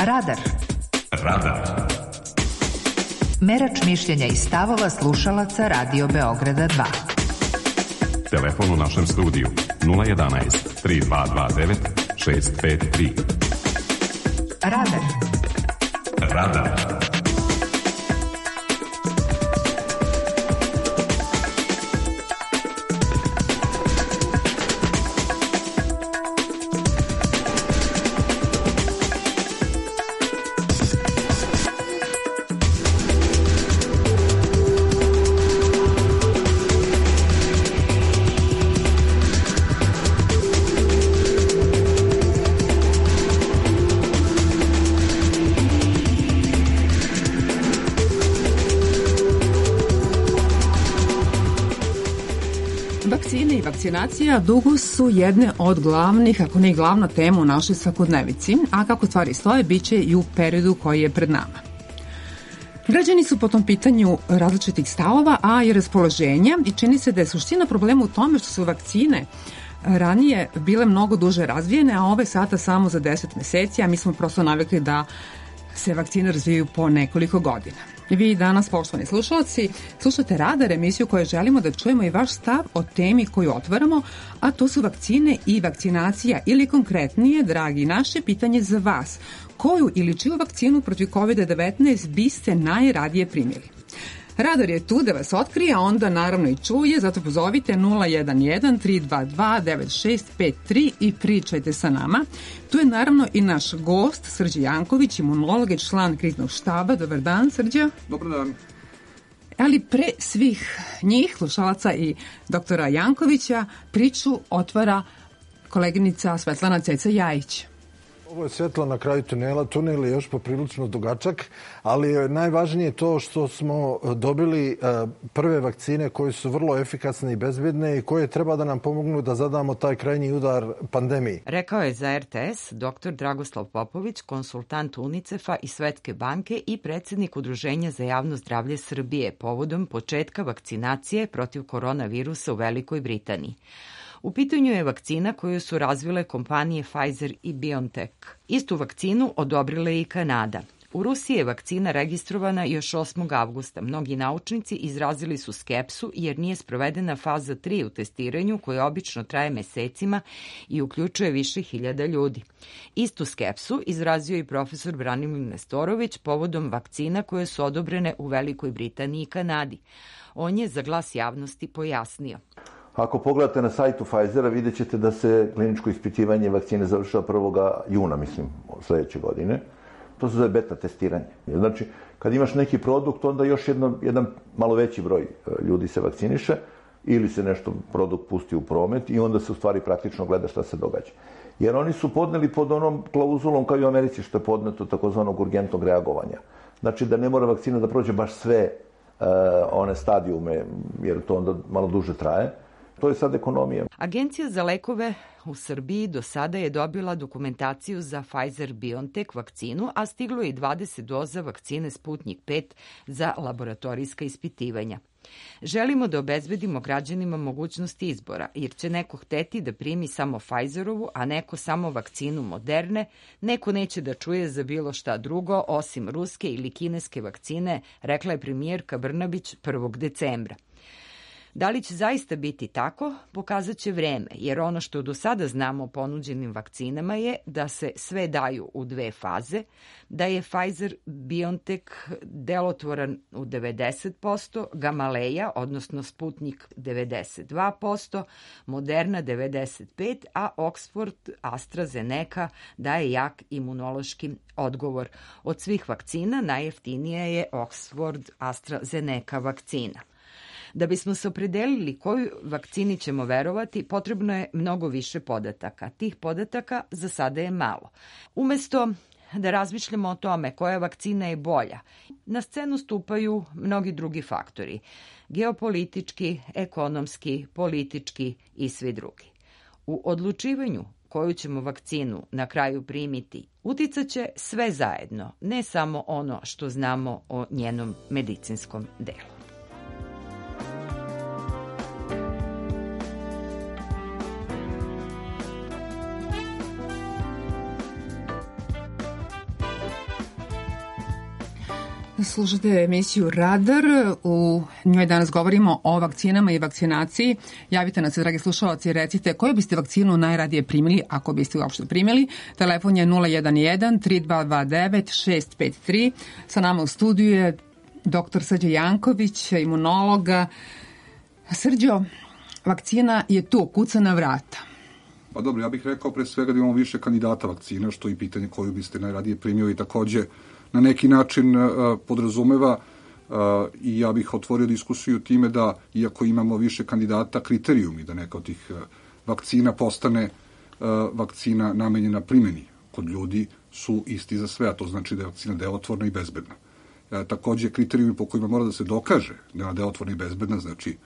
Radar. Radar. Merač mišljenja i stavova slušalaca Radio Beograda 2. Telefon u našem studiju 011 3229 653. Radar. Radar. Vakcinacija dugo su jedne od glavnih, ako ne i glavna tema u našoj svakodnevici, a kako stvari stoje, bit će i u periodu koji je pred nama. Građani su po tom pitanju različitih stavova, a i raspoloženja i čini se da je suština problema u tome što su vakcine ranije bile mnogo duže razvijene, a ove sada samo za 10 meseci, a mi smo prosto navikli da se vakcine razvijaju po nekoliko godina. Vi danas, poštovani slušalci, slušate Radar, emisiju koju želimo da čujemo i vaš stav o temi koju otvaramo, a to su vakcine i vakcinacija ili konkretnije, dragi naše, pitanje za vas. Koju ili čiju vakcinu protiv COVID-19 biste najradije primili? Radar je tu da vas otkrije, a onda naravno i čuje, zato pozovite 011-322-9653 i pričajte sa nama. Tu je naravno i naš gost, Srđe Janković, imunolog i član kriznog štaba. Dobar dan, Srđe. Dobar dan. Ali pre svih njih, slušalaca i doktora Jankovića, priču otvara koleginica Svetlana Ceca Jajić. Ovo je svetlo na kraju tunela. Tunel je još poprilično dugačak, ali je najvažnije to što smo dobili prve vakcine koje su vrlo efikasne i bezbjedne i koje treba da nam pomognu da zadamo taj krajnji udar pandemiji. Rekao je za RTS dr. Dragoslav Popović, konsultant UNICEF-a i Svetske banke i predsjednik Udruženja za javno zdravlje Srbije povodom početka vakcinacije protiv koronavirusa u Velikoj Britaniji. U pitanju je vakcina koju su razvile kompanije Pfizer i BioNTech. Istu vakcinu odobrila je i Kanada. U Rusiji je vakcina registrovana još 8. avgusta. Mnogi naučnici izrazili su skepsu jer nije sprovedena faza 3 u testiranju koja obično traje mesecima i uključuje više hiljada ljudi. Istu skepsu izrazio i profesor Branimir Nestorović povodom vakcina koje su odobrene u Velikoj Britaniji i Kanadi. On je za Glas javnosti pojasnio. Ako pogledate na sajtu Pfizera, vidjet ćete da se kliničko ispitivanje vakcine završava 1. juna, mislim, sledeće godine. To se zove beta testiranje. Znači, kad imaš neki produkt, onda još jedan malo veći broj ljudi se vakciniše ili se nešto produkt pusti u promet i onda se u stvari praktično gleda šta se događa. Jer oni su podneli pod onom klauzulom kao i u Americi što je podneto takozvanog urgentnog reagovanja. Znači da ne mora vakcina da prođe baš sve one stadijume, jer to onda malo duže traje. To je sad ekonomija. Agencija za lekove u Srbiji do sada je dobila dokumentaciju za Pfizer-BioNTech vakcinu, a stiglo je i 20 doza vakcine Sputnik 5 za laboratorijska ispitivanja. Želimo da obezbedimo građanima mogućnost izbora, jer će neko hteti da primi samo Pfizerovu, a neko samo vakcinu Moderne, neko neće da čuje za bilo šta drugo, osim ruske ili kineske vakcine, rekla je premijerka Brnabić 1. decembra. Da li će zaista biti tako, pokazat će vreme, jer ono što do sada znamo o ponuđenim vakcinama je da se sve daju u 2 faze, da je Pfizer-BioNTech delotvoran u 90%, Gamaleja, odnosno Sputnik 92%, Moderna 95%, a Oxford AstraZeneca daje jak imunološki odgovor. Od svih vakcina najjeftinija je Oxford AstraZeneca vakcina. Da bismo se opredelili koju vakcini ćemo verovati, potrebno je mnogo više podataka. Tih podataka za sada je malo. Umesto da razmišljamo o tome koja vakcina je bolja, na scenu stupaju mnogi drugi faktori. Geopolitički, ekonomski, politički i svi drugi. U odlučivanju koju ćemo vakcinu na kraju primiti uticaće sve zajedno, ne samo ono što znamo o njenom medicinskom delu. Slušate emisiju Radar, u njoj danas govorimo o vakcinama i vakcinaciji. Javite nas se, dragi slušalci, i recite koju biste vakcinu najradije primili, ako biste uopšte primili. Telefon je 011-3229-653. Sa nama u studiju je dr. Srđo Janković, imunologa. Srđo, vakcina je tu, kuca na vrata. Pa dobro, ja bih rekao pre svega da imamo više kandidata vakcina, što i pitanje koju biste najradije primio i takođe na neki način podrazumeva i ja bih otvorio diskusiju time da, iako imamo više kandidata, kriterijumi da neka od tih vakcina postane vakcina namenjena primjeni kod ljudi su isti za sve, a to znači da je vakcina delotvorna i bezbedna. Takođe, kriterijumi po kojima mora da se dokaže da je delotvorna i bezbedna, znači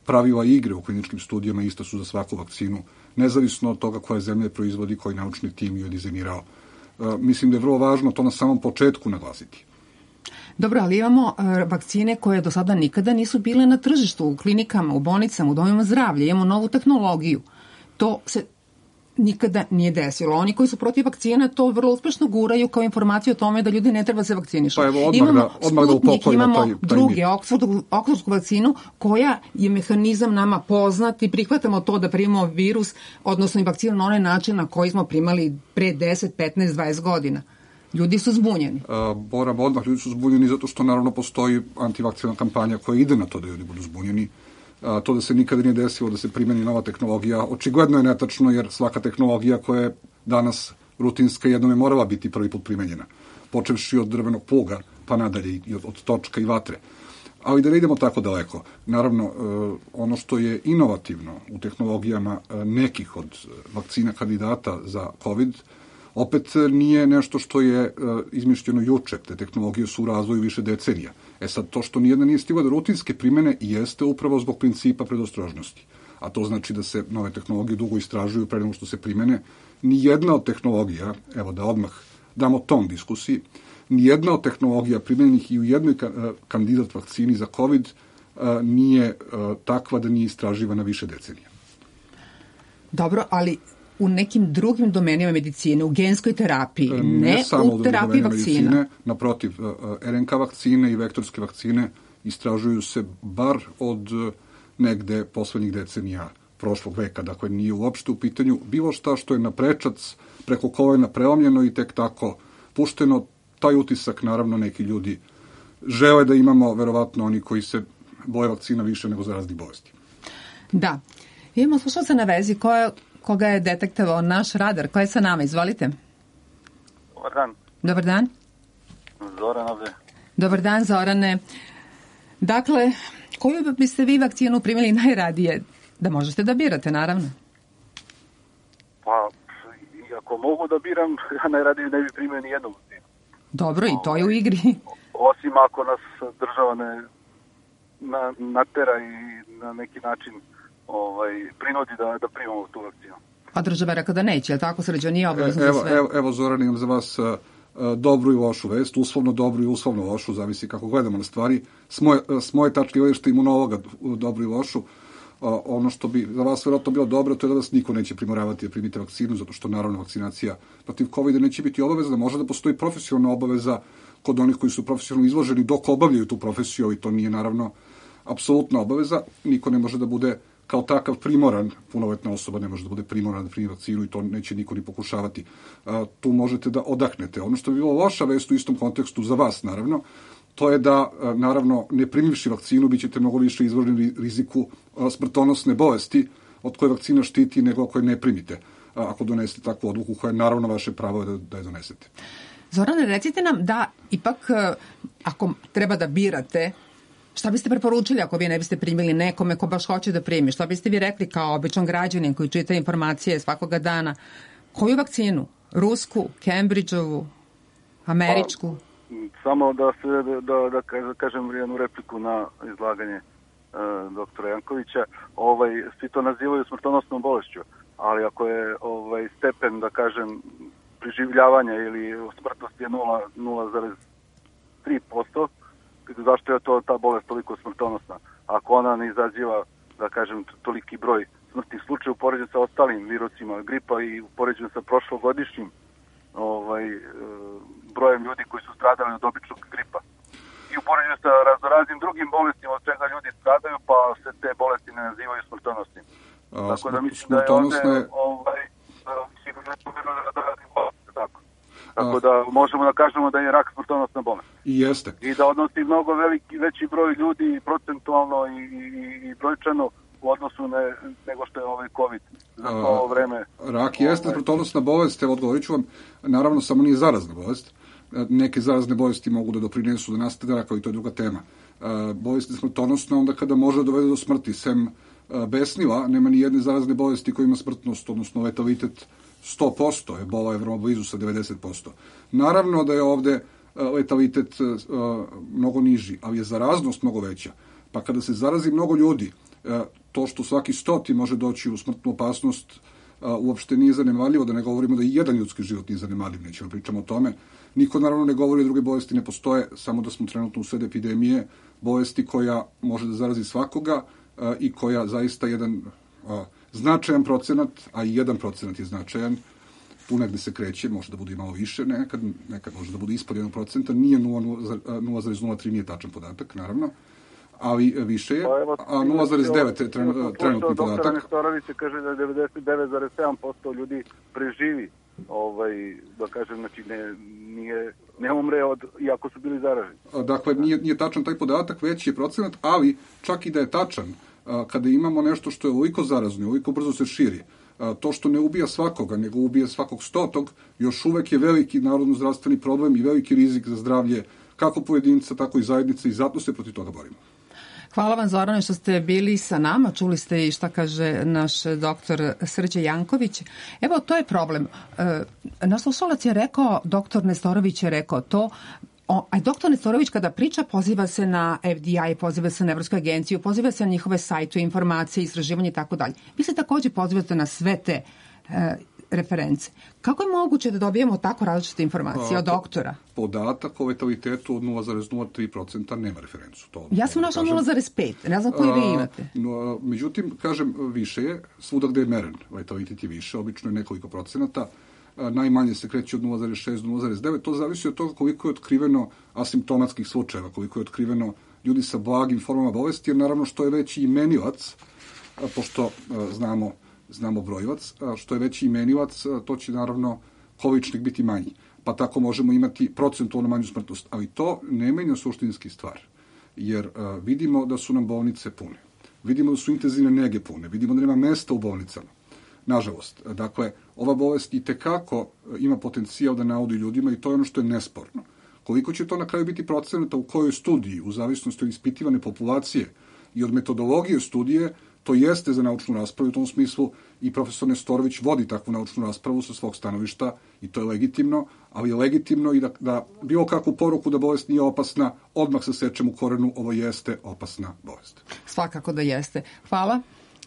pravila igre u kliničkim studijama ista su za svaku vakcinu, nezavisno od toga koja zemlja proizvodi, koji naučni tim ju je dizajnirao. Mislim da je vrlo važno to na samom početku naglasiti. Dobro, ali imamo vakcine koje do sada nikada nisu bile na tržištu, u klinikama, u bolnicama, u domovima zdravlja. Imamo novu tehnologiju. To se nikada nije desilo. Oni koji su protiv vakcina to vrlo uspešno guraju kao informaciju o tome da ljudi ne treba se vakcinišu. Pa evo, odmah da Sputnik, imamo druge, Oksfordsku vakcinu, koja je mehanizam nama poznat i prihvatamo to da primamo virus, odnosno i vakcinu na onaj način na koji smo primali pre 10, 15, 20 godina. Ljudi su zbunjeni. Moram odmah, ljudi su zbunjeni zato što naravno postoji antivakcinalna kampanja koja ide na to da ljudi budu zbunjeni. To da se nikada nije desilo da se primeni nova tehnologija, očigledno je netačno jer svaka tehnologija koja je danas rutinska jednom je morala biti prvi put primenjena, počevši od drvenog pluga pa nadalje i od točka i vatre. Ali da ne idemo tako daleko. Naravno, ono što je inovativno u tehnologijama nekih od vakcina kandidata za COVID, opet nije nešto što je izmišljeno juče. Te tehnologije su u razvoju više decenija. Sad, to što nijedna nije stigla do rutinske primene jeste upravo zbog principa predostrožnosti. A to znači da se nove tehnologije dugo istražuju pre nego što se primene. Nijedna od tehnologija, evo da odmah damo ton diskusiji, nijedna od tehnologija primenjenih i u jednoj kandidat vakcini za COVID nije takva da nije istraživana više decenija. Dobro, ali u nekim drugim domenima medicine, u genskoj terapiji, ne u terapiji vakcina. Medicine, naprotiv, RNK vakcine i vektorske vakcine istražuju se bar od negde poslednjih decenija prošlog veka, dakle nije uopšte u pitanju bilo šta što je na prečac, preko kolena prelomljeno i tek tako pušteno. Taj utisak, naravno, neki ljudi žele da imamo, verovatno oni koji se boje vakcina više nego za raznih bolesti. Da. Imamo slušalca na vezi koga je detektovao naš radar. Ko je sa nama? Izvolite. Dobar dan. Dobar dan. Zoran ovde. Dobar dan, Zorane. Dakle, koju biste vi vakcinu primili najradije? Da možete da birate, naravno. Pa, ako mogu da biram, ja najradije ne bi primio ni jednu vakcinu. Dobro, i to je u igri. Osim ako nas država ne natera i na neki način prinudi da primamo tu vakcinu. A država je rekao da neće, je li tako, Srđo, nije obavezno za sve? Evo, Zoran, imam za vas dobru i lošu vest, uslovno dobru i uslovno lošu, zavisi kako gledamo na stvari. S moje tačke gledišta imunologa dobru i lošu, ono što bi za vas verovatno bilo dobro, to je da vas niko neće primoravati da primite vakcinu, zato što naravno vakcinacija protiv COVID-a neće biti obavezna, može da postoji profesionalna obaveza kod onih koji su profesionalno izloženi dok obavljaju tu profesiju, i to nije naravno apsolutna obaveza. Niko ne može da bude kao takav primoran, punoletna osoba ne može da bude primorana da primi vakcinu i to neće niko ni pokušavati. Tu možete da odahnete. Ono što bi bilo loša vest u istom kontekstu za vas, naravno, to je da, naravno, ne primivši vakcinu, bit ćete mnogo više izloženi riziku smrtonosne bolesti od koje vakcina štiti nego koje ne primite, ako donesete takvu odluku koja je naravno vaše pravo da je donesete. Zorane, recite nam da ipak, ako treba da birate, šta biste preporučili ako vi ne biste primili nekome ko baš hoće da primi? Šta biste vi rekli kao običan građanin koji čita informacije svakoga dana? Koju vakcinu? Rusku, Cambridgeovu, američku? Samo da kažem jednu repliku na izlaganje doktora Jankovića. Svi to nazivaju smrtonosnom bolešću, ali ako je stepen, da kažem, preživljavanja ili smrtnosti je 0,3%, zašto je ta bolest toliko smrtonosna? Ako ona ne izaziva, da kažem, toliki broj smrtnih slučaja u poređenju sa ostalim virusima gripa i u poređenju sa prošlogodišnjim brojem ljudi koji su stradali od običnog gripa. i u poređenju sa raznoraznim drugim bolestima od čega ljudi stradaju, pa se te bolesti ne nazivaju smrtonosnim. Tako da mislim da je ovde tako da možemo da kažemo da je rak smrtonosna bolest. I jeste. I da odnosi mnogo veći broj ljudi procentualno i brojčano u odnosu nego što je ovaj COVID za to ovo vreme. Rak jeste smrtonosna bolest, odgovorit ću vam, naravno samo nije zarazna bolest. Neke zarazne bolesti mogu da doprinesu da nastane rak, ali to je druga tema. Bolest je smrtonosna onda kada može da dovede do smrti. Sem besnila, nema ni jedne zarazne bolesti koja ima smrtnost, odnosno letalitet 100%, ebola je vrlo blizu sa 90%. Naravno da je ovde letalitet mnogo niži, ali je zaraznost mnogo veća. Pa kada se zarazi mnogo ljudi, to što svaki 100 može doći u smrtnu opasnost uopšte nije zanemarljivo, da ne govorimo da i jedan ljudski život nije zanemarljiv, nećemo pričamo o tome. Niko naravno ne govori da druge bolesti ne postoje, samo da smo trenutno u sred epidemije, bolesti koja može da zarazi svakoga i koja zaista jedan značajan procenat, a i 1% je značajan, tu negde se kreće, može da bude i malo više, nekad može da bude ispod 1%, nije 0,03 nije tačan podatak, naravno, ali više je, a 0,9 je trenutni podatak. Doktor Nestorović kaže da 99,7% ljudi preživi, da kažem, znači ne umre iako su bili zaraženi. Dakle, nije tačan taj podatak, veći je procenat, ali čak i da je tačan, kada imamo nešto što je ovoliko zarazno, ovoliko brzo se širi, to što ne ubija svakoga, nego ubija svakog 100, još uvek je veliki narodno-zdravstveni problem i veliki rizik za zdravlje kako pojedinca, tako i zajednice i zato se protiv toga borimo. Hvala vam, Zorane, što ste bili sa nama. Čuli ste i šta kaže naš doktor Srđe Janković. Evo, to je problem. Naš slušalac je rekao, doktor Nestorović je rekao to, a doktor Nestorović kada priča poziva se na FDI, poziva se na Evropsku agenciju, poziva se na njihove sajtove, informacije, istraživanje i tako dalje. Vi se takođe pozivate na sve te reference. Kako je moguće da dobijemo tako različite informacije od doktora? Podatak o letalitetu od 0,03% nema referencu. Ja sam našla 0,5, ne znam koji vi imate. Međutim, kažem, više je, svuda gde je meren, letalitet je više, obično je nekoliko procenata, najmanje se kreće od 0,6 do 0,9, to zavisi od toga koliko je otkriveno asimptomatskih slučajeva, koliko je otkriveno ljudi sa blagim formama bolesti, jer naravno što je veći imenilac, pošto znamo brojivac, što je veći imenilac, to će naravno količnik biti manji. Pa tako možemo imati procentualno manju smrtnost. Ali to ne menja suštinski stvar. Jer vidimo da su nam bolnice pune. Vidimo da su intenzivne nege pune. Vidimo da nema mesta u bolnicama. Nažalost. Dakle, ova bolest i tekako ima potencijal da naudi ljudima i to je ono što je nesporno. Koliko će to na kraju biti procenata u kojoj studiji, u zavisnosti od ispitivane populacije i od metodologije studije, to jeste za naučnu raspravu. U tom smislu i profesor Nestorović vodi takvu naučnu raspravu sa svog stanovišta i to je legitimno, ali je legitimno i da bilo kakvu poruku da bolest nije opasna, odmah se sečem u korenu, ovo jeste opasna bolest. Svakako da jeste. Hvala.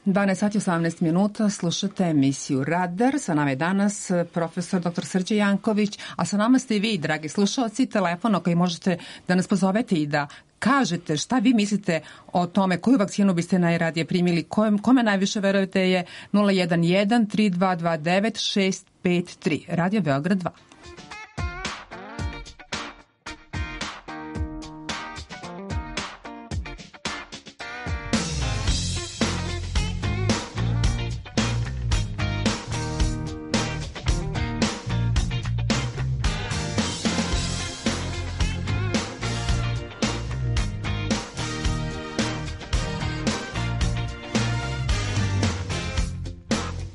12 sati 18 minuta, slušate emisiju Radar. Sa nama je danas profesor dr. Srđe Janković, a sa nama ste i vi, dragi slušalci, telefon na koji možete da nas pozovete i da kažete šta vi mislite o tome koju vakcinu biste najradije primili, kome najviše verujete je 011 3229 653. Radio Beograd 2.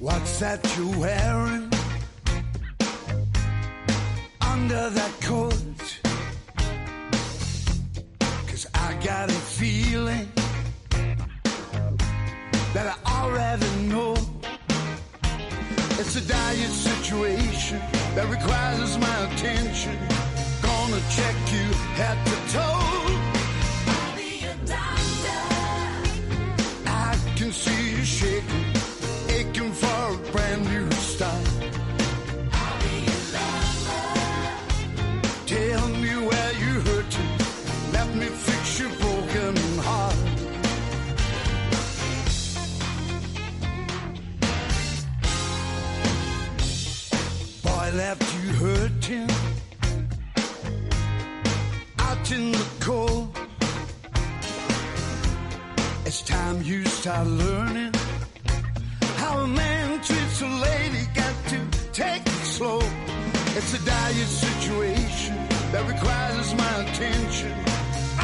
What's that you're wearing under that coat? 'Cause I got a feeling that I already know. It's a dire situation that requires my attention. Gonna check you head to toe. I'll be your doctor. I can see you shaking, aching for a brand new start. I'll be your lover. Tell me where you're hurting, let me fix your broken heart. Boy left you hurting out in the cold. time you start learning how a man treats a lady. Got to take it slow. It's a dire situation that requires my attention.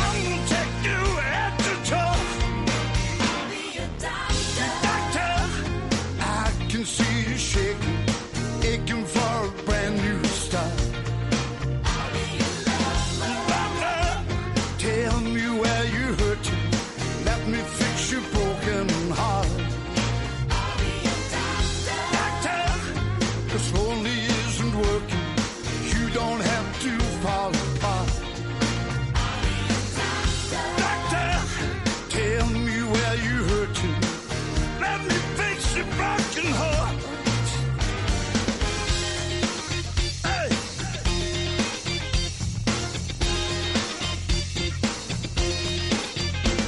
I'm gonna take you head to toe. I'll be a doctor. Doctor, I can see you shaking, aching for a brand new start. I'll be a lover. Lover, tell me where you're hurting. Let me fix your broken heart. I'll be a doctor. Doctor, this only isn't working. You don't have to fall apart. I'll be a doctor. Doctor, tell me where you're hurting. Let me fix your broken heart. Hey.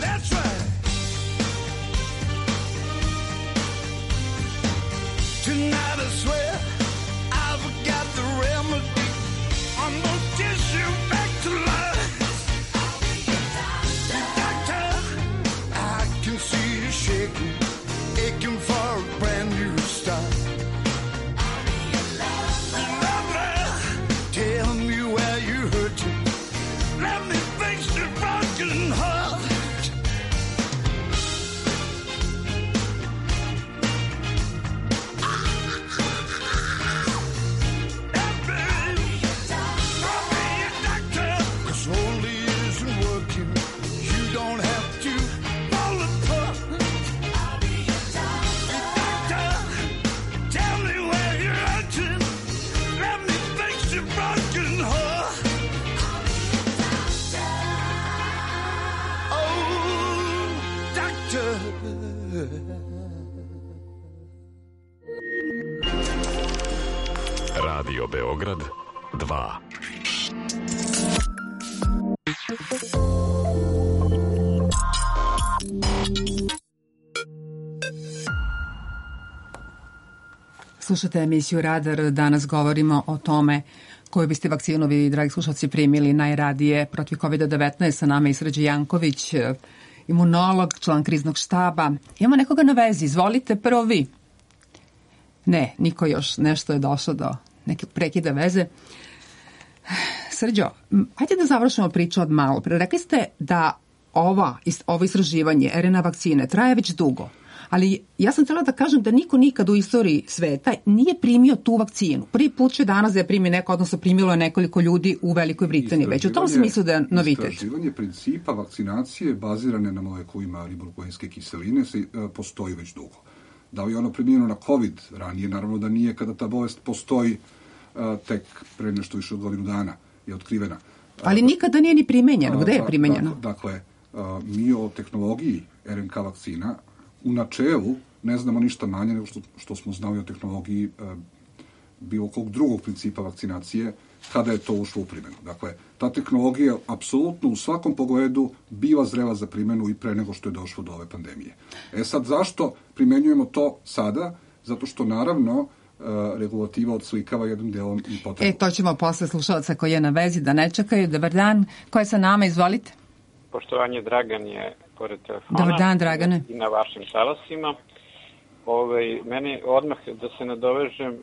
That's right. Tonight I swear I've got the remedy. I'm gonna kiss you back to life. I'll be a doctor. Doctor, I can see you shaking, aching for a brand new start. I'll be a lover. Lover, tell me where you're hurting. Let me fix your broken heart. Radio Beograd 2. Slušate emisiju Radar. Danas govorimo o tome koju biste vakcinu vi, dragi slušalci, primili najradije protiv COVID-19. Sa nama je Srđan Janković, imunolog, član kriznog štaba. Imamo nekoga na vezi. Izvolite, prvo vi. Ne, niko još. Nešto je došlo do neke prekida veze. Srđo, hajde da završimo priču od malo. Rekli ste da ovo istraživanje RNA vakcine traje već dugo. Ali ja sam htjela da kažem da niko nikad u istoriji sveta nije primio tu vakcinu. Prvi put će danas da je primi neko, odnosno primilo je nekoliko ljudi u Velikoj Britaniji. Već u tom smislu da je novitet. Istraživanje principa vakcinacije bazirane na molekulima ribonukleinske kiseline postoji već dugo. Da li je ono primljeno na COVID ranije? Naravno da nije, kada ta bolest postoji tek pre nešto više od godinu dana je otkrivena. Ali nikada nije ni primenjeno. Gde je primenjeno? Dakle, mi o tehnologiji RNK vakcina u načelu ne znamo ništa manje nego što smo znali o tehnologiji bilo kog drugog principa vakcinacije kada je to ušlo u primjenu. Dakle, ta tehnologija apsolutno u svakom pogledu bila zrela za primjenu i pre nego što je došlo do ove pandemije. Sad, zašto primenjujemo to sada? Zato što, naravno, regulativa odslikava jednim delom i potrebu. To ćemo posle slušalca koji je na vezi da ne čekaju. Dobar dan. Ko je sa nama? Izvolite. Poštovanje, Dragan je pored telefona. Dobar dan, Dragane. I na vašim talasima. Mene odmah da se nadovežem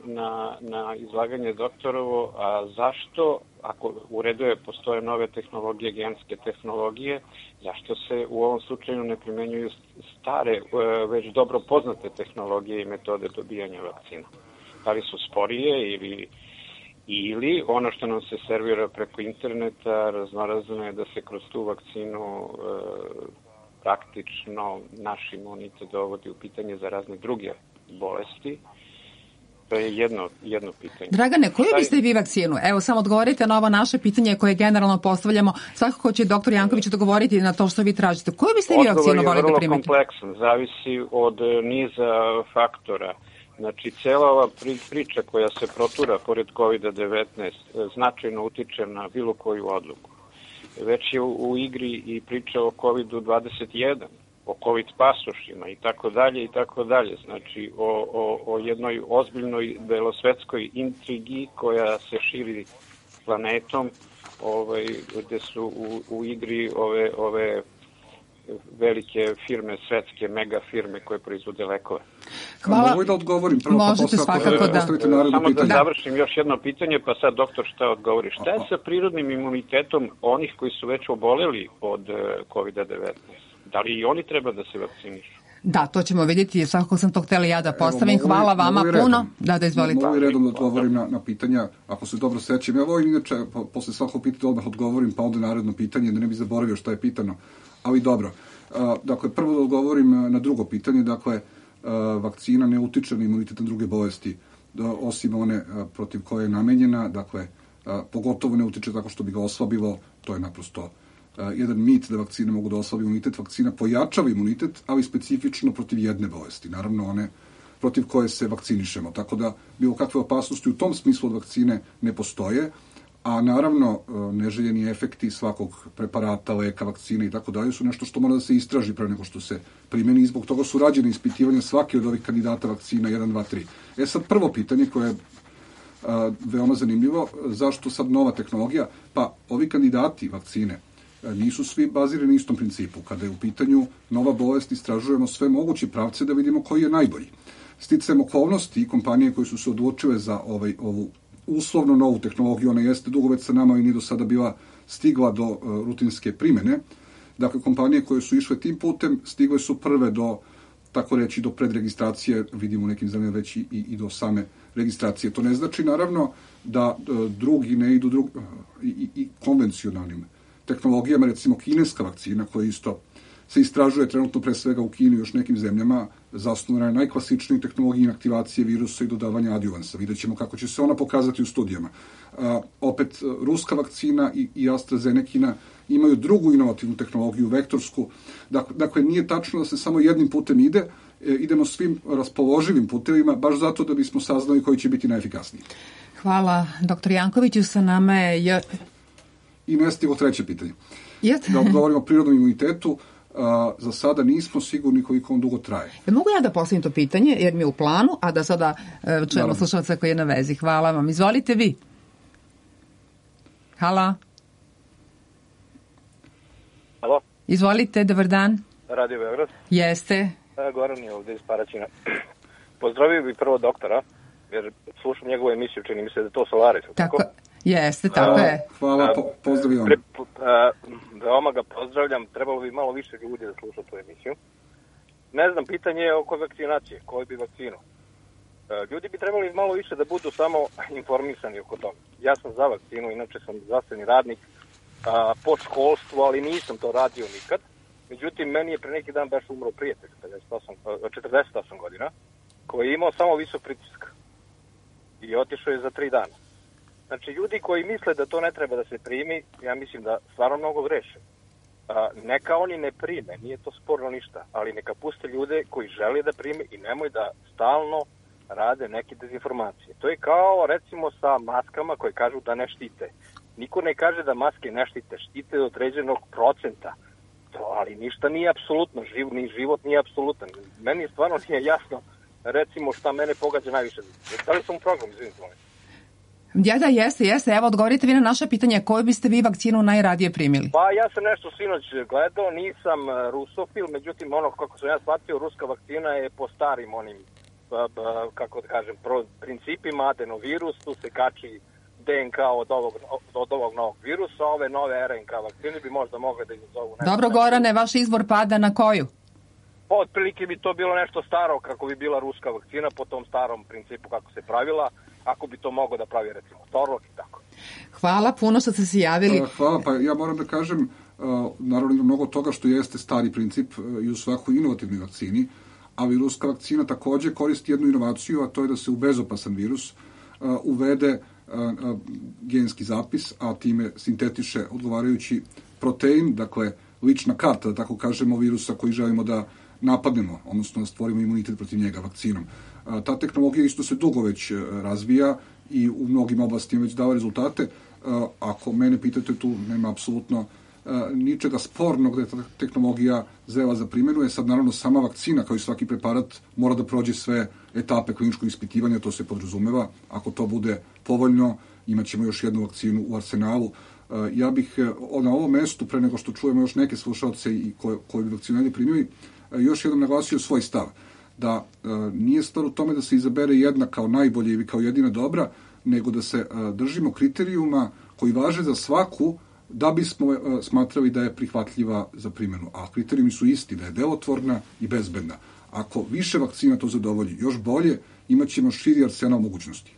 na izlaganje doktorovo, a zašto, ako u redu je, postoje nove tehnologije, genske tehnologije, zašto se u ovom slučaju ne primenjuju stare, već dobro poznate tehnologije i metode dobijanja vakcina? Da li su sporije ili ono što nam se servira preko interneta, raznorazno je da se kroz tu vakcinu praktično naš imunitet dovodi u pitanje za razne druge bolesti. To je jedno pitanje. Dragane, koju biste vi vakcinu? Evo, samo odgovorite na ovo naše pitanje koje generalno postavljamo. Svakako će doktor Janković odgovoriti na to što vi tražite. Koju biste vi vakcinu volili da primite? Odgovor je vrlo kompleksan, zavisi od niza faktora. Znači, cijela ova priča koja se protura pored COVID-19 značajno utiče na bilo koju odluku. Već je u igri i priča o COVID-21, o COVID pasošima i tako dalje. Znači, o jednoj ozbiljnoj belosvetskoj intrigi koja se širi planetom, gde su u igri ove velike firme, svetske mega firme koje proizvode lekove. Hvala. Mogu da odgovorim prvo, možete svakako da. Samo da završim još jedno pitanje, pa sad doktor šta odgovori. Šta je sa prirodnim imunitetom onih koji su već oboleli od COVID-19? Da li i oni treba da se vakcinišu? Da, to ćemo vidjeti, svakako sam to htjela ja da postavim. Hvala vama puno. Da, izvolite. Mogu i redom da odgovorim na pitanja, ako se dobro sećam. Ja volim inače, posle svakog pitanja odmah odgovorim, pa onda naredno pitanje, da ne bi zaboravio šta je pitano. Ali dobro. Dakle, prvo da odgovorim na drugo pitanje. Dakle, vakcina ne utiče na imunitet na druge bolesti, osim one protiv koje je namenjena. Dakle, pogotovo ne utiče tako što bi ga oslabilo. To je naprosto jedan mit da vakcine mogu da oslabi imunitet. Vakcina pojačava imunitet, ali specifično protiv jedne bolesti. Naravno, one protiv koje se vakcinišemo. Tako da bilo kakve opasnosti u tom smislu od vakcine ne postoje. A naravno, neželjeni efekti svakog preparata, leka, vakcine i tako dalje su nešto što mora da se istraži pre nego što se primeni i zbog toga su rađene ispitivanja svake od ovih kandidata vakcina 1, 2, 3. Sad prvo pitanje koje je veoma zanimljivo, zašto sad nova tehnologija? Pa ovi kandidati vakcine nisu svi bazirani na istom principu. Kada je u pitanju nova bolest, istražujemo sve moguće pravce da vidimo koji je najbolji. Sticajem okolnosti i kompanije koje su se odlučile za ovu uslovno novu tehnologiju, ona jeste dugo već sa nama i nije do sada bila stigla do rutinske primene. Dakle, kompanije koje su išle tim putem stigle su prve do, tako reći, do predregistracije, vidimo u nekim zemljama već i do same registracije. To ne znači, naravno, da drugi ne idu i konvencionalnim tehnologijama, recimo kineska vakcina koja isto se istražuje trenutno pre svega u Kini i još nekim zemljama, zasnovana je najklasičnijoj tehnologiji inaktivacije virusa i dodavanja adjuvansa. Vidjet ćemo kako će se ona pokazati u studijama. Opet, ruska vakcina i AstraZenekina imaju drugu inovativnu tehnologiju, vektorsku. Dakle, nije tačno da se samo jednim putem ide, idemo svim raspoloživim putevima, baš zato da bismo saznali koji će biti najefikasniji. Hvala, dr. Jankoviću, sa nama je... I nestigo treće pitanje. Da govorimo o prirodnom imunitetu, za sada nismo sigurni koliko on dugo traje. Mogu ja da postavim to pitanje, jer mi je u planu, a da sada čujemo slušalca koji je na vezi. Hvala vam. Izvolite vi. Halo. Halo. Izvolite, dobar dan. Radio Beograd. Jeste. Goran je ovde iz Paraćina. Pozdravio bih prvo doktora, jer slušam njegovu emisiju, čini mi se da je to Solaris. Tako? Jeste, tako je. Hvala, pozdravljam. Veoma ga pozdravljam, trebalo bi malo više ljudi da sluša tu emisiju. Ne znam, pitanje je oko vakcinacije, koju bi vakcinu. Ljudi bi trebali malo više da budu samo informisani oko toga. Ja sam za vakcinu, inače sam zdravstveni radnik po školstvu, ali nisam to radio nikad. Međutim, meni je pre neki dan baš umro prijatelj, 48 godina, koji je imao samo visok pritisak i otišao je za 3 dana. Znači, ljudi koji misle da to ne treba da se primi, ja mislim da stvarno mnogo greše. Neka oni ne prime, nije to sporno ništa, ali neka puste ljude koji žele da prime i nemoj da stalno rade neke dezinformacije. To je kao, recimo, sa maskama koje kažu da ne štite. Niko ne kaže da maske ne štite, štite do određenog procenta. Ali ništa nije apsolutno, ni život nije apsolutan. Meni stvarno nije jasno, recimo, šta mene pogađa najviše. Da li sam u programu, izvinite molim? Da, jeste. Evo, odgovorite vi na naše pitanje, koju biste vi vakcinu najradije primili? Pa ja sam nešto sinoć gledao, nisam rusofil, međutim, ono kako sam ja shvatio, ruska vakcina je po starim onim, kako da kažem, principima, adenovirus, tu se kači DNK od ovog novog virusa, ove nove RNK vakcine bi možda mogle da izazovu... Dobro, Gorane, vaš izbor pada na koju? Pa, otprilike bi to bilo nešto staro, kako bi bila ruska vakcina, po tom starom principu kako se pravila, ako bi to mogo da pravi, recimo, Torlok i tako. Hvala, puno što ste se javili. Hvala, pa ja moram da kažem, naravno ima mnogo toga što jeste stari princip i u svakoj inovativnoj vakcini, ali ruska vakcina takođe koristi jednu inovaciju, a to je da se u bezopasan virus uvede genski zapis, a time sintetiše odgovarajući protein, dakle lična karta, da tako kažemo, virusa koji želimo da napadnemo, odnosno da stvorimo imunitet protiv njega vakcinom. Ta tehnologija isto se dugo već razvija i u mnogim oblastima već dava rezultate. Ako mene pitate, tu nema apsolutno ničega spornog da je ta tehnologija zrela za primjenu. Sad naravno sama vakcina kao i svaki preparat mora da prođe sve etape kliničkog ispitivanja, to se podrazumeva. Ako to bude povoljno, imat ćemo još jednu vakcinu u arsenalu. Ja bih na ovom mestu, pre nego što čujemo još neke slušalce i koji bi vakcinu ne primili, još jednom naglasio svoj stav. Da nije stvar u tome da se izabere jedna kao najbolja ili kao jedina dobra, nego da se držimo kriterijuma koji važe za svaku da bismo smatrali da je prihvatljiva za primjenu. A kriterijumi su isti, da je delotvorna i bezbedna. Ako više vakcina to zadovolji, još bolje, imat ćemo širi arsenal mogućnosti.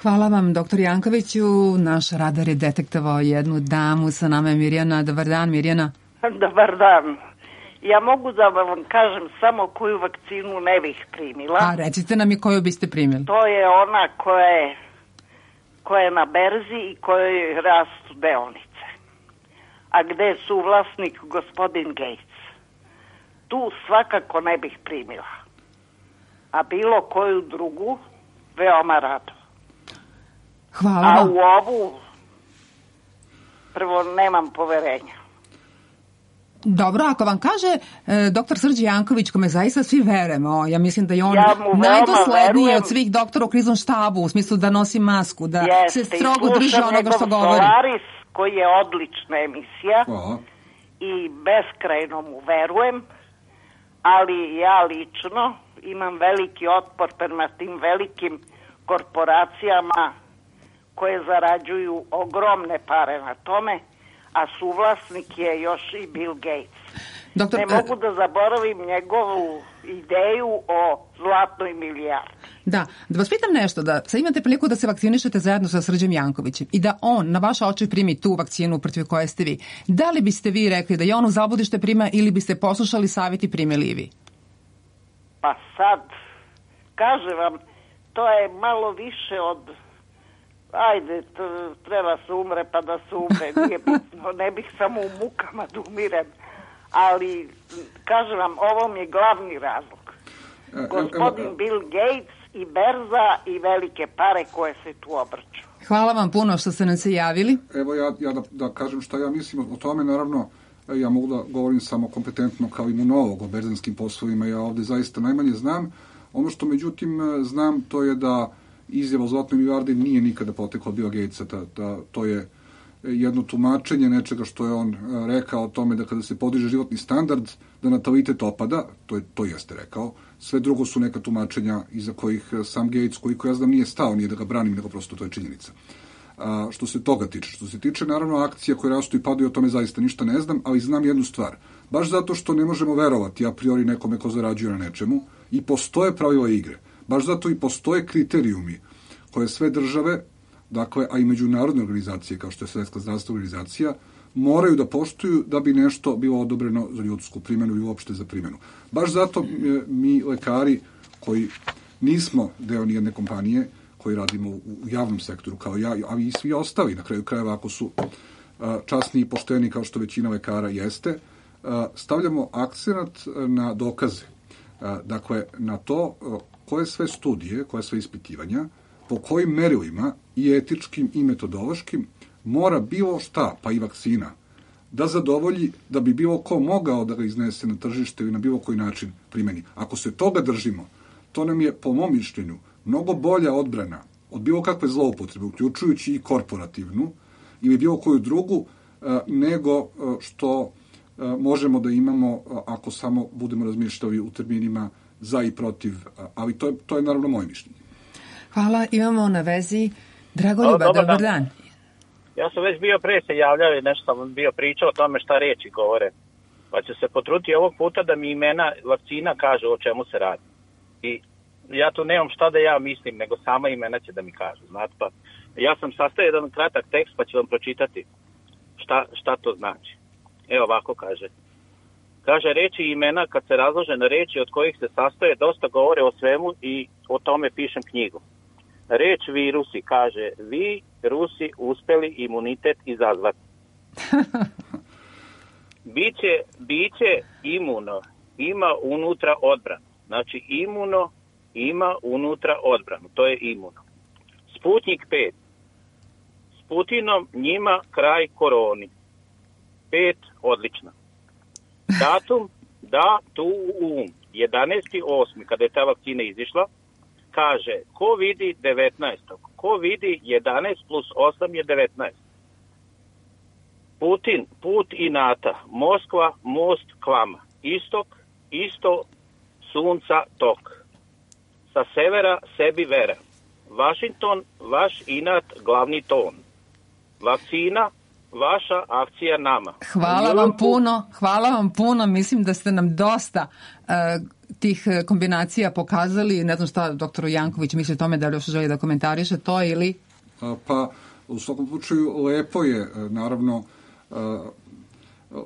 Hvala vam, dr. Jankoviću. Naš radar je detektovao jednu damu, sa nama je Mirjana. Dobar dan, Mirjana. Dobar dan. Ja mogu da vam kažem samo koju vakcinu ne bih primila. A recite nam i koju biste primili. To je ona koja je na berzi i kojoj rastu deonice. A gde je suvlasnik gospodin Gates. Tu svakako ne bih primila. A bilo koju drugu, veoma rado. Hvala vam. A u ovu prvo nemam poverenja. Dobro, ako vam kaže doktor Srđe Janković, kome zaista svi verujemo, ja mislim da je on najdosledniji od svih doktora u kriznom štabu, u smislu da nosi masku, da se strogo drži onoga što govori. Solaris, koji je odlična emisija i beskrajno mu verujem, ali ja lično imam veliki otpor prema tim velikim korporacijama koje zarađuju ogromne pare na tome, a suvlasnik je još i Bill Gates. Ne mogu da zaboravim njegovu ideju o zlatnoj milijardi. Da vas pitam nešto, da sad imate priliku da se vakcinišete zajedno sa Srđem Jankovićem i da on na vaše oči primi tu vakcinu protiv koje ste vi. Da li biste vi rekli da je on u zabudište prima ili biste poslušali savjet i primili i vi? Pa sad, kažem vam, to je malo više od ajde, treba se umre pa da se umre, nije bitno, ne bih samo u mukama da umirem, ali kažem vam, ovo mi je glavni razlog. Gospodin Bill Gates i berza i velike pare koje se tu obrću. Hvala vam puno što ste nam se javili. Evo ja da kažem šta ja mislim o tome, naravno ja mogu da govorim samo kompetentno kao imunolog o berzanskim poslovima, ja ovde zaista najmanje znam. Ono što međutim znam to je da izjava o zlatnoj milijardi nije nikada potekla od Bill Gatesa, to je jedno tumačenje nečega što je on rekao o tome da kada se podiže životni standard, da natalitet opada, to jeste rekao. Sve drugo su neka tumačenja iza kojih sam Gates, koliko ja znam, nije stao, nije da ga branim, nego prosto to je činjenica. Što se toga tiče. Što se tiče, naravno, akcija koje rastu i padaju, o tome zaista ništa ne znam, ali znam jednu stvar. Baš zato što ne možemo verovati a priori nekome ko zarađuje na nečemu i postoje pravila igre. Baš zato i postoje kriterijumi koje sve države, dakle, a i međunarodne organizacije, kao što je Svjetska zdravstvena organizacija, moraju da poštuju da bi nešto bilo odobreno za ljudsku primjenu i uopšte za primjenu. Baš zato mi, lekari, koji nismo deo nijedne kompanije, koji radimo u javnom sektoru, kao ja, ali i svi ostali, na kraju krajeva, ako su časni i pošteni, kao što većina lekara jeste, stavljamo akcenat na dokaze. Dakle, na to koje sve studije, koje sve ispitivanja, po kojim merilima i etičkim i metodološkim mora bilo šta, pa i vakcina, da zadovolji da bi bilo ko mogao da ga iznese na tržište ili na bilo koji način primeni. Ako se toga držimo, to nam je, po mom mišljenju, mnogo bolja odbrana od bilo kakve zloupotrebe, uključujući i korporativnu ili bilo koju drugu, nego što možemo da imamo ako samo budemo razmišljali u terminima za i protiv, ali to je naravno moje mišljenje. Hvala, imamo na vezi Dragoljuba, dobar dan. Ja sam već bio pre se javljao i nešto sam bio pričao o tome šta reči govore. Pa ću se potruditi ovog puta da mi imena vakcina kažu o čemu se radi. I ja tu nemam šta da ja mislim, nego sama imena će da mi kažu. Znate, pa ja sam sastavio jedan kratak tekst pa ću vam pročitati šta to znači. Evo ovako kaže. Kaže, reči i imena kad se razlože na reči od kojih se sastoje dosta govore o svemu i o tome pišem knjigu. Reč virusi kaže, vi Rusi uspeli imunitet izazvati. Biće imuno ima unutra odbranu. Znači imuno ima unutra odbranu. To je imuno. Sputnik 5. S Putinom njima kraj koroni. 5. Odlično. Datum, datum 11.8. kada je ta vakcina izišla, kaže, ko vidi 19. Ko vidi 11 plus 8 je 19. Putin, put inata, Moskva, most k vama. Istok, isto, sunca, tok. Sa severa, sebi vera. Washington, vaš inat, glavni ton. Vakcina, vaša akcija nama. Hvala vam puno. Mislim da ste nam dosta tih kombinacija pokazali. Ne znam šta doktor Janković misli o tome, da li još želi da komentariše to ili... Pa, u svakom slučaju, lepo je, naravno,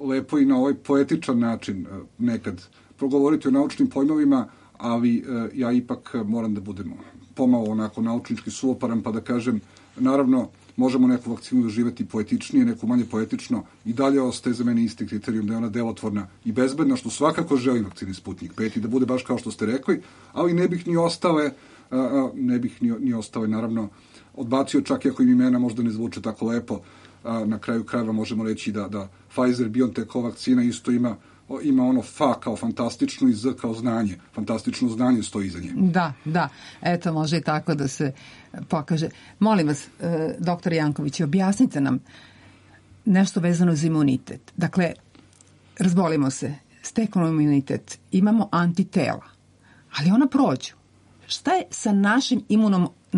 lepo i na ovaj poetičan način nekad progovoriti o naučnim pojmovima, ali ja ipak moram da budem pomalo onako naučnički suvoparan, pa da kažem, naravno, možemo neku vakcinu doživjeti poetičnije, neku manje poetično, i dalje ostaje za mene isti kriterijum da je ona delotvorna i bezbedna, što svakako želim vakcini Sputnik 5 i da bude baš kao što ste rekli, ali ne bih ni ostale, naravno, odbacio, čak i ako im imena možda ne zvuče tako lepo. Na kraju krajeva možemo reći da Pfizer-BioNTech vakcina isto ima ono F kao fantastično i Z kao znanje. Fantastično znanje stoji iza nje. Da. Eto, može i tako da se pokaže. Molim vas, doktor Janković, objasnite nam nešto vezano za imunitet. Dakle, razbolimo se, steknemo imunitet, imamo antitela, ali ona prođu. Šta je sa našim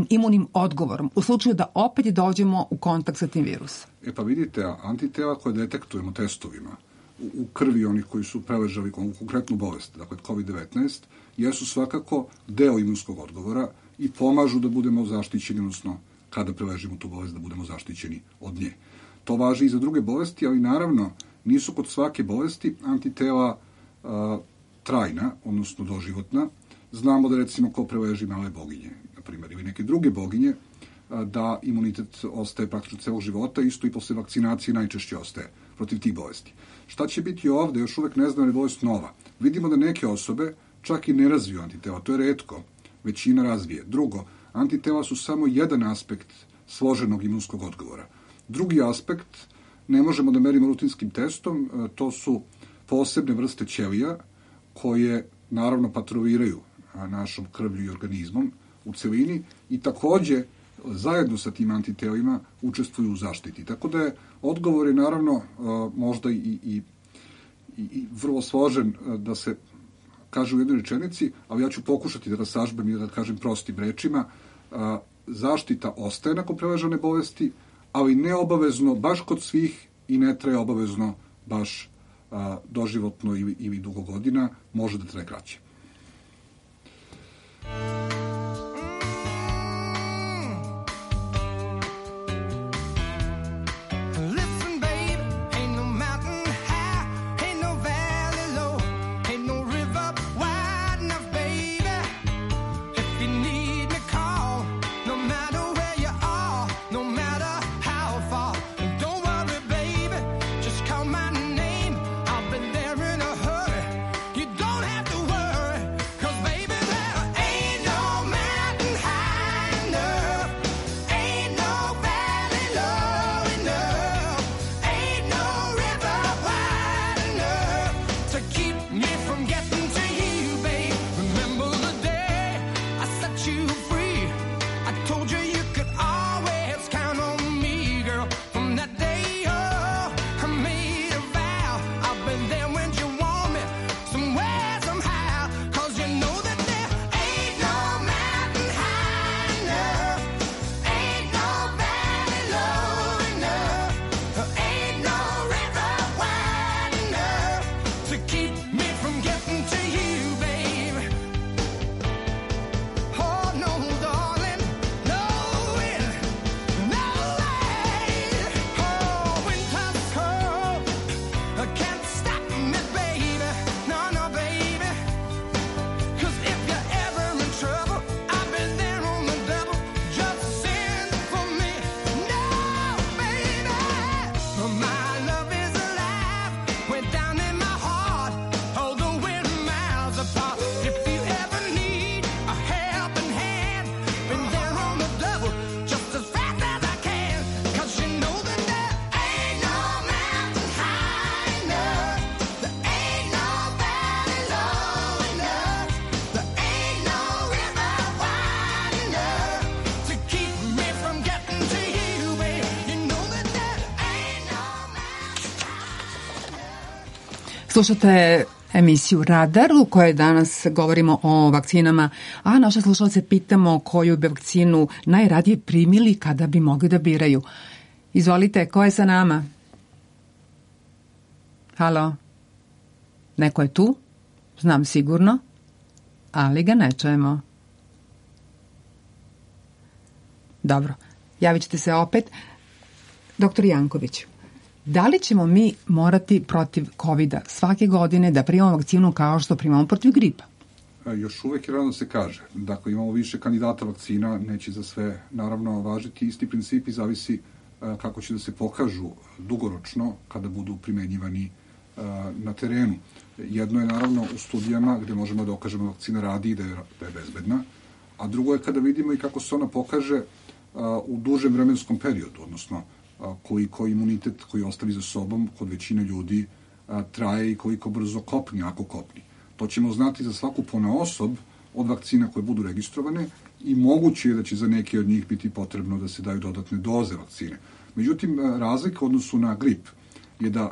imunim odgovorom u slučaju da opet dođemo u kontakt sa tim virusom? Pa vidite, antitela koje detektujemo testovima u krvi onih koji su preležali konkretnu bolest, dakle COVID-19, jesu svakako deo imunskog odgovora i pomažu da budemo zaštićeni, odnosno kada preležimo tu bolest da budemo zaštićeni od nje. To važi i za druge bolesti, ali naravno nisu kod svake bolesti antitela trajna, odnosno doživotna. Znamo da recimo ko preleži male boginje, na primjer, ili neke druge boginje, da imunitet ostaje praktično celog života, isto i posle vakcinacije najčešće ostaje protiv tih bolesti. Šta će biti ovde, još uvek ne znam, je bolest nova. Vidimo da neke osobe čak i ne razviju antitela, to je retko, većina razvije. Drugo, antitela su samo jedan aspekt složenog imunskog odgovora. Drugi aspekt ne možemo da merimo rutinskim testom, to su posebne vrste ćelija koje naravno patroviraju našom krvlju i organizmom u celini i takođe zajedno sa tim antitelima učestvuju u zaštiti. Tako da je odgovor je naravno možda i vrlo složen da se kaže u jednoj rečenici, ali ja ću pokušati da sažbem i da kažem prostim rečima. Zaštita ostaje nakon preležane bolesti, ali ne obavezno baš kod svih i ne traje obavezno baš doživotno ili dugo godina, može da traje kraće. Slušate emisiju Radar u kojoj danas govorimo o vakcinama, a naše slušalce pitamo koju bi vakcinu najradije primili kada bi mogli da biraju. Izvolite, ko je sa nama? Halo? Neko je tu? Znam sigurno, ali ga ne čujemo. Dobro, javit ćete se opet. Doktor Janković, da li ćemo mi morati protiv COVID-a svake godine da primamo vakcinu kao što primamo protiv gripa? Još uvek je rano da se kaže. Dakle, imamo više kandidata vakcina, neće za sve naravno važiti. Isti principi zavisi kako će da se pokažu dugoročno kada budu primenjivani na terenu. Jedno je naravno u studijama gde možemo da dokažemo da vakcina radi i da je bezbedna, a drugo je kada vidimo i kako se ona pokaže u dužem vremenskom periodu, odnosno koliko imunitet koji ostavi za sobom kod većine ljudi traje i koliko brzo kopni, ako kopni. To ćemo znati za svaku ponaosob od vakcina koje budu registrovane i moguće je da će za neke od njih biti potrebno da se daju dodatne doze vakcine. Međutim, razlika u odnosu na grip je da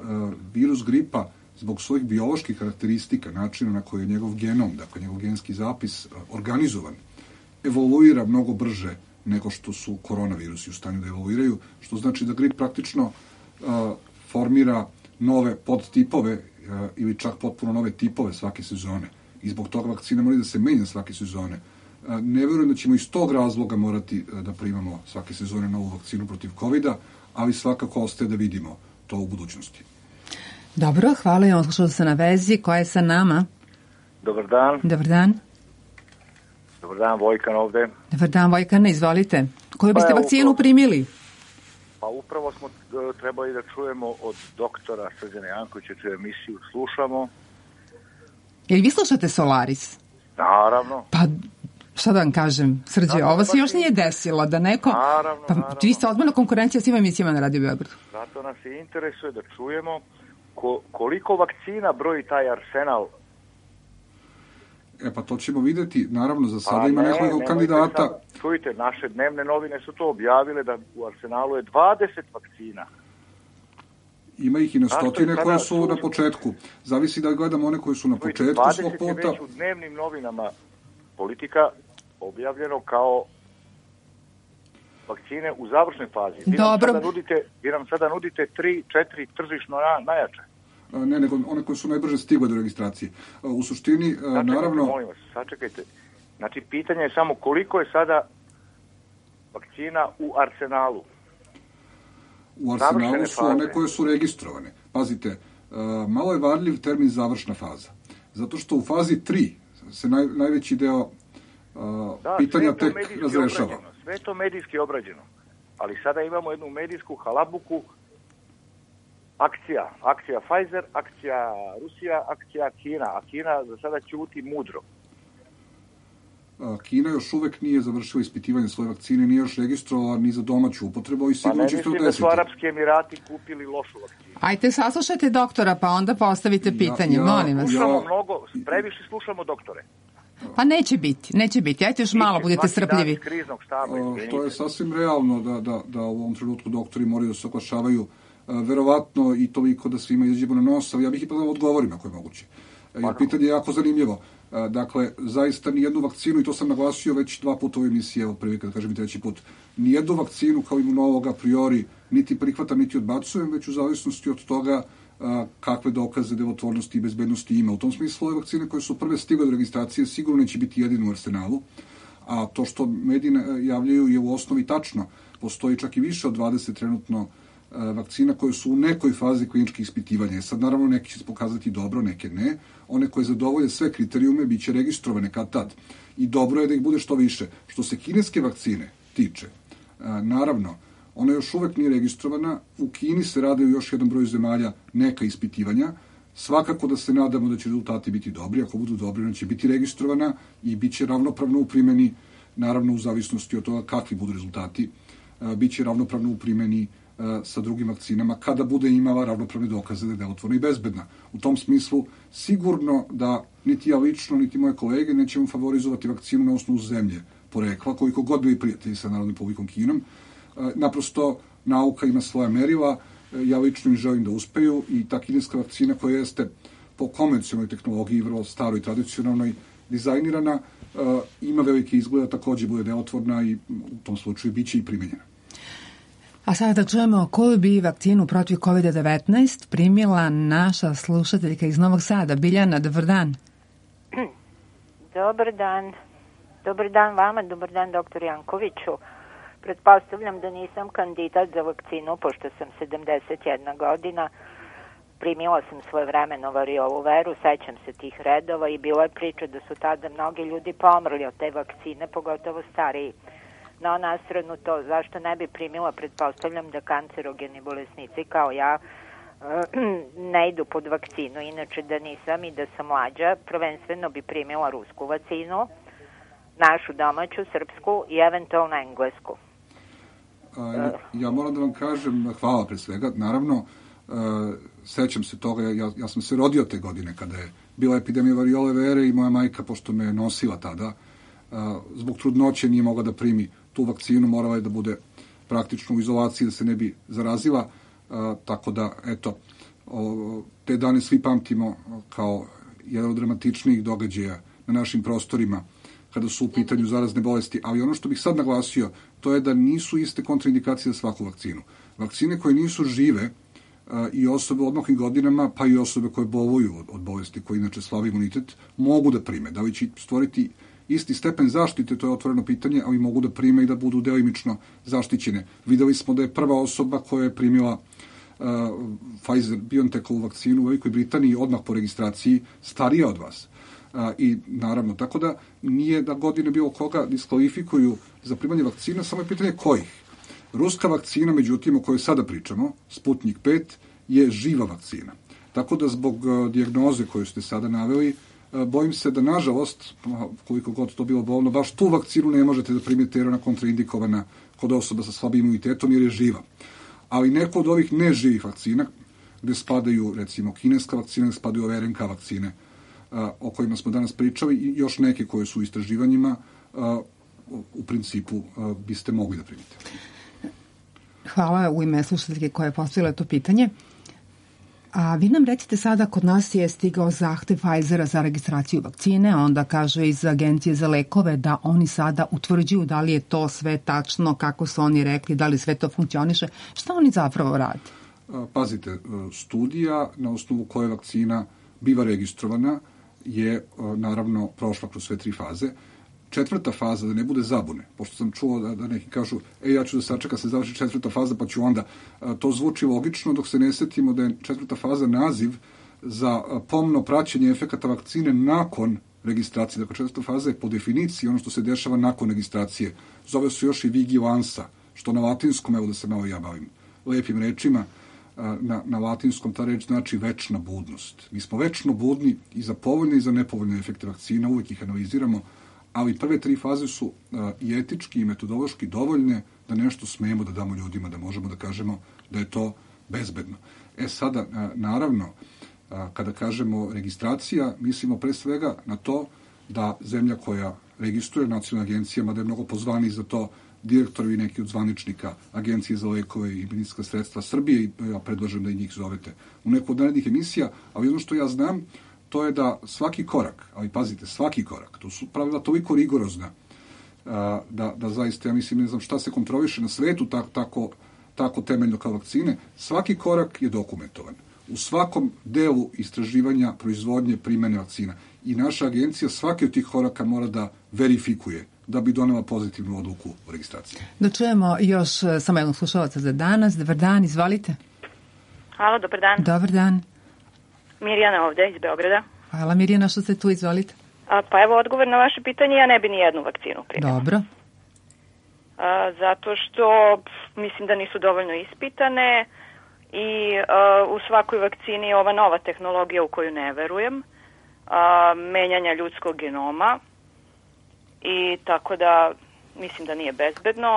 virus gripa zbog svojih bioloških karakteristika, načina na koji je njegov genom, dakle njegov genski zapis organizovan, evoluira mnogo brže nego što su koronavirusi u stanju da evoluiraju, što znači da grip praktično formira nove podtipove ili čak potpuno nove tipove svake sezone. I zbog toga vakcina mora da se menja svake sezone. Ne verujem da ćemo iz tog razloga morati da primamo svake sezone novu vakcinu protiv COVID-a, ali svakako ostaje da vidimo to u budućnosti. Dobro, hvala i on slušao se na vezi. Ko je sa nama? Dobar dan. Dobar dan. Dobar dan, Vojkan ovde. Dobar dan, Vojkane, izvolite. Koju biste vakcinu primili? Pa upravo smo trebali da čujemo od doktora Srđana Jankovića, čiju emisiju slušamo. Jel vi slušate Solaris? Naravno. Pa, šta da vam kažem, Srđe, ovo se još nije desilo, da neko... Naravno, pa, vi ste odmah konkurencija svima emisijama na Radio Beogradu. Zato nas i interesuje da čujemo koliko vakcina broji taj arsenal. Pa to ćemo videti, naravno za sada ima nekoliko kandidata. Čujte, naše dnevne novine su to objavile da u arsenalu je 20 vakcina. Ima ih i na stotine koje su na početku. Zavisi da gledamo one koje su na početku svog puta. 20 je već u dnevnim novinama Politika objavljeno kao vakcine u završnoj fazi. Vi nam sada nudite 3-4 tržišno najjače. Ne, nego one koje su najbrže stigle do registracije. U suštini, naravno... Molim vas, sačekajte. Znači, pitanje je samo koliko je sada vakcina u arsenalu. U arsenalu su one koje su registrovane. Pazite, malo je varljiv termin završna faza. Zato što u fazi 3 se najveći deo pitanja tek razrešava. Sve je to medijski obrađeno. Ali sada imamo jednu medijsku halabuku. Akcija Pfizer, akcija Rusija, akcija Kina, a Kina za sada ćuti mudro. Kina još uvek nije završila ispitivanje svoje vakcine, nije još registrovala ni za domaću upotrebu i sigurno će to desiti. Pa ne mislim da su Arapski Emirati kupili lošu vakcinu. Ajte, saslušajte doktora, pa onda postavite pitanje, molim vas. Previše slušamo doktore. Pa neće biti. Ajte još malo, budete strpljivi. To je sasvim realno da u ovom trenutku doktori moraju da se oglašavaju verovatno i toliko da svima izađemo na nos, ali ja bih ipak da odgovorim ako je moguće. Jer pitanje je jako zanimljivo. Dakle, zaista nijednu vakcinu, i to sam naglasio već 2 puta u emisiji, evo prvi kad kažem i 3. put, nijednu vakcinu kao imunolog a priori niti prihvatam, niti odbacujem, već u zavisnosti od toga kakve dokaze delotvornosti i bezbednosti ima. U tom smislu ove vakcine koje su prve stigle do registracije sigurno neće biti jedino u arsenalu, a to što mediji javljaju je u osnovi tačno. Postoji čak i više od 20 trenutno vakcina koje su u nekoj fazi kliničkih ispitivanja. Sad, naravno, neki će se pokazati dobro, neke ne. One koje zadovolje sve kriterijume bit će registrovane kad tad. I dobro je da ih bude što više. Što se kineske vakcine tiče, naravno, ona još uvek nije registrovana. U Kini se rade u još jedan broj zemalja neka ispitivanja. Svakako da se nadamo da će rezultati biti dobri. Ako budu dobri, ona će biti registrovana i bit će ravnopravno u primjeni, naravno u zavisnosti od toga kakvi budu rezultati. Bit će ravnopravno u primjeni sa drugim vakcinama kada bude imala ravnopravne dokaze da je delotvorna i bezbedna. U tom smislu sigurno da niti ja lično, niti moje kolege nećemo favorizovati vakcinu na osnovu zemlje porekla, koliko god bili prijatelji sa Narodnom Republikom Kinom. Naprosto nauka ima svoja merila, ja lično im želim da uspeju i ta kineska vakcina koja jeste po konvencionalnoj tehnologiji, vrlo staroj i tradicionalnoj, dizajnirana, ima velike izgleda, takođe bude delotvorna i u tom slučaju biće i primenjena. A sada da čujemo koju bi vakcinu protiv COVID-19 primila naša slušateljka iz Novog Sada. Biljana, dobar dan. Dobar dan. Dobar dan vama, dobar dan doktor Jankoviću. Pretpostavljam da nisam kandidat za vakcinu, pošto sam 71 godina. Primila sam svojevremeno variolu veru, sećam se tih redova i bilo je priča da su tada mnogi ljudi pomrli od te vakcine, pogotovo stariji. No, na stranu to, zašto ne bi primila, pretpostavljam da kancerogeni bolesnici kao ja ne idu pod vakcinu, inače da nisam i da sam mlađa, prvenstveno bi primila rusku vakcinu, našu domaću, srpsku i eventualno englesku. Ja moram da vam kažem, hvala pre svega, naravno, sećam se toga, ja sam se rodio te godine kada je bila epidemija variole vere i moja majka, pošto me nosila tada, zbog trudnoće nije mogla da primi tu vakcinu, morala je da bude praktično u izolaciji da se ne bi zarazila, tako da, eto, te dane svi pamtimo kao jedan od dramatičnijih događaja na našim prostorima kada su u pitanju zarazne bolesti, ali ono što bih sad naglasio, to je da nisu iste kontraindikacije za svaku vakcinu. Vakcine koje nisu žive i osobe u odmaklim godinama, pa i osobe koje boluju od bolesti, koje inače slabi imunitet, mogu da prime. Da li će stvoriti isti stepen zaštite, to je otvoreno pitanje, ali mogu da prime i da budu delimično zaštićene. Videli smo da je prva osoba koja je primila Pfizer-BioNTechovu vakcinu u Velikoj Britaniji odmah po registraciji starija od vas. I naravno, tako da nije da godine bilo koga diskvalifikuju za primanje vakcina, samo je pitanje kojih. Ruska vakcina, međutim, o kojoj sada pričamo, Sputnik 5, je živa vakcina. Tako da zbog dijagnoze koju ste sada naveli, bojim se da, nažalost, koliko god to bilo bolno, baš tu vakcinu ne možete da primite jer ona kontraindikovana kod osoba sa slabim imunitetom jer je živa. Ali neko od ovih neživih vakcina, gde spadaju, recimo, kineska vakcina, gde spadaju ove RNK vakcine, o kojima smo danas pričali, i još neke koje su u istraživanjima, u principu biste mogli da primite. Hvala u ime slušateljke koja je postavila to pitanje. A vi nam recite sada, kod nas je stigao zahtev Pfizera za registraciju vakcine, onda kaže iz Agencije za lekove da oni sada utvrđuju da li je to sve tačno, kako su oni rekli, da li sve to funkcioniše. Šta oni zapravo rade? Pazite, studija na osnovu koje vakcina biva registrovana je naravno prošla kroz sve 3 faze. 4. faza, da ne bude zabune, pošto sam čuo da neki kažu, ja ću da sačekam se završi 4. faza, pa ću onda. To zvuči logično, dok se ne setimo da je 4. faza naziv za pomno praćenje efekata vakcine nakon registracije. Dakle, 4. faza je po definiciji ono što se dešava nakon registracije. Zove se još i vigilansa, što na latinskom, evo da se malo ja bavim lepim rečima, na latinskom ta reč znači večna budnost. Mi smo večno budni i za povoljne i za nepovoljne efekte vakcina, uvek ih analiziramo, ali prve 3 faze su i etički i metodološki dovoljne da nešto smemo da damo ljudima, da možemo da kažemo da je to bezbedno. Sada, naravno, kada kažemo registracija, mislimo pre svega na to da zemlja koja registruje nacionalna agencija, mada je mnogo pozvani za to direktori i neki od zvaničnika Agencije za lekove i medicinska sredstva Srbije, i ja predlažem da i njih zovete u neku od narednih emisija, ali ono što ja znam, to je da svaki korak, ali pazite, svaki korak, to su pravila toliko rigorozna, da zaista, ja mislim, ne znam šta se kontroliše na svetu tako temeljno kao vakcine, svaki korak je dokumentovan. U svakom delu istraživanja, proizvodnje, primene vakcina. I naša agencija svaki od tih koraka mora da verifikuje da bi donela pozitivnu odluku o registraciji. Da čujemo još samo jednog slušalaca za danas. Dobar dan, izvolite. Halo, dobar dan. Dobar dan. Mirjana ovde iz Beograda. Hvala Mirjana što ste tu, izvolite. Pa evo odgovor na vaše pitanje, ja ne bi ni jednu vakcinu primila. Dobro. Zato što mislim da nisu dovoljno ispitane i u svakoj vakcini je ova nova tehnologija u koju ne verujem, menjanja ljudskog genoma, i tako da mislim da nije bezbedno.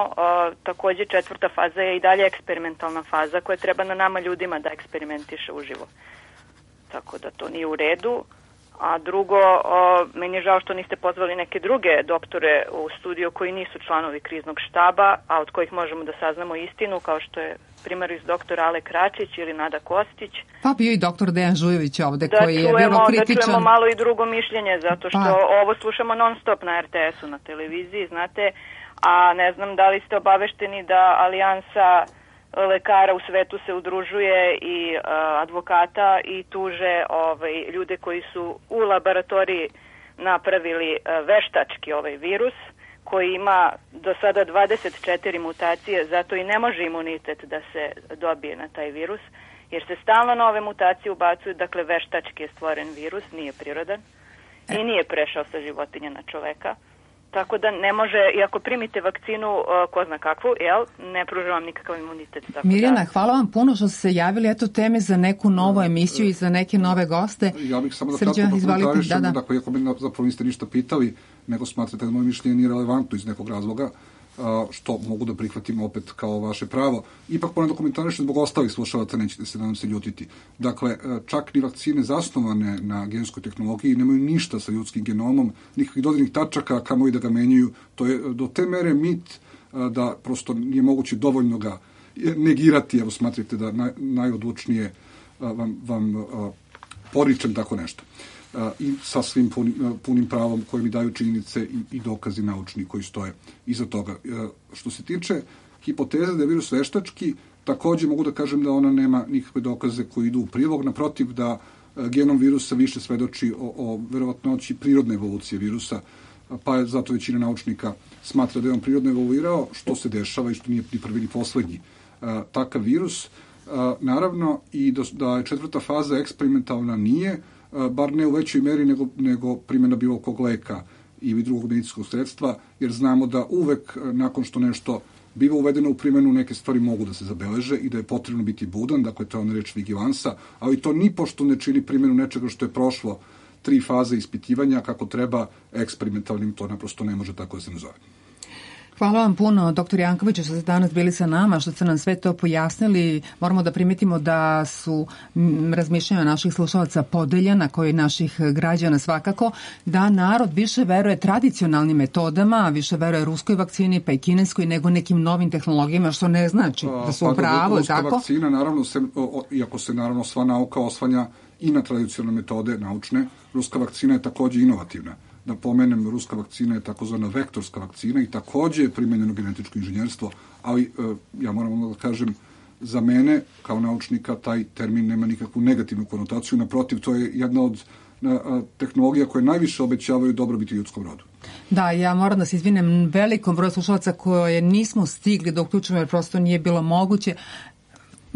Takođe 4. faza je i dalje eksperimentalna faza koja treba na nama ljudima da eksperimentiše uživo. Tako da to nije u redu. A drugo, meni je žao što niste pozvali neke druge doktore u studio koji nisu članovi kriznog štaba, a od kojih možemo da saznamo istinu, kao što je primaris doktor Ale Kračić ili Nada Kostić. Pa bio i doktor Dejan Žujović ovde koji je vrlo kritičan. Da čujemo malo i drugo mišljenje, zato što ovo slušamo non stop na RTS-u, na televiziji, znate, a ne znam da li ste obavešteni da Alijansa lekara u svetu se udružuje i advokata i tuže ljude koji su u laboratoriji napravili veštački ovaj virus koji ima do sada 24 mutacije, zato i ne može imunitet da se dobije na taj virus, jer se stalno nove mutacije ubacuju, dakle veštački je stvoren virus, nije prirodan i nije prešao sa životinja na čoveka. Tako da ne može, i ako primite vakcinu, ko zna kakvu, ne pruža vam nikakav imunitet. Mirjana, hvala vam puno što ste se javili. Eto teme za neku novu emisiju i za neke nove goste. Ja bih samo da kratko komentarišem, dakle, iako me zapravo niste ništa pitali, nego smatrate da moje mišljenje nije relevantno iz nekog razloga, što mogu da prihvatim opet kao vaše pravo. Ipak moram da komentarišem zbog ostalih slušalaca, nećete se nadam se ljutiti. Dakle, čak ni vakcine zasnovane na genskoj tehnologiji nemaju ništa sa ljudskim genomom, nikakvih dodirnih tačaka, kamo i da ga menjaju. To je do te mere mit da prosto nije moguće dovoljno ga negirati. Evo, smatrite da najodlučnije vam poričem tako nešto. I sa svim punim pravom koje mi daju činjenice i dokazi naučni koji stoje iza toga. Što se tiče hipoteze da je virus veštački, takođe mogu da kažem da ona nema nikakve dokaze koji idu u prilog, naprotiv da genom virusa više svedoči o verovatnoći prirodne evolucije virusa, pa je zato većina naučnika smatra da je on prirodno evoluirao, što se dešava i što nije ni prvi ni poslednji takav virus. Naravno i da je četvrta faza eksperimentalna nije, bar ne u većoj meri nego primjena bilo kog leka ili drugog medicinskog sredstva, jer znamo da uvek nakon što nešto biva uvedeno u primjenu, neke stvari mogu da se zabeleže i da je potrebno biti budan, dakle to je ona reč vigilansa, ali to nipošto ne čini primjenu nečega što je prošlo 3 faze ispitivanja kako treba, eksperimentalnim to naprosto ne može tako da se nazove. Hvala vam puno, dr. Jankoviću, što ste danas bili sa nama, što ste nam sve to pojasnili. Moramo da primetimo da su razmišljanja naših slušalaca podeljena, koji naših građana svakako, da narod više veruje tradicionalnim metodama, više veruje ruskoj vakcini, pa i kineskoj, nego nekim novim tehnologijama, što ne znači da su u pravu. Ruska vakcina, naravno, iako se naravno sva nauka oslanja i na tradicionalne metode naučne, ruska vakcina je takođe inovativna. Da pomenem, ruska vakcina je takozvana vektorska vakcina i takođe je primenjeno genetičko inženjerstvo, ali ja moram da kažem, za mene kao naučnika taj termin nema nikakvu negativnu konotaciju, naprotiv, to je jedna od tehnologija koje najviše obećavaju dobrobiti ljudskom rodu. Da, ja moram da se izvinem velikom broju slušalaca koje nismo stigli da uključimo jer prosto nije bilo moguće.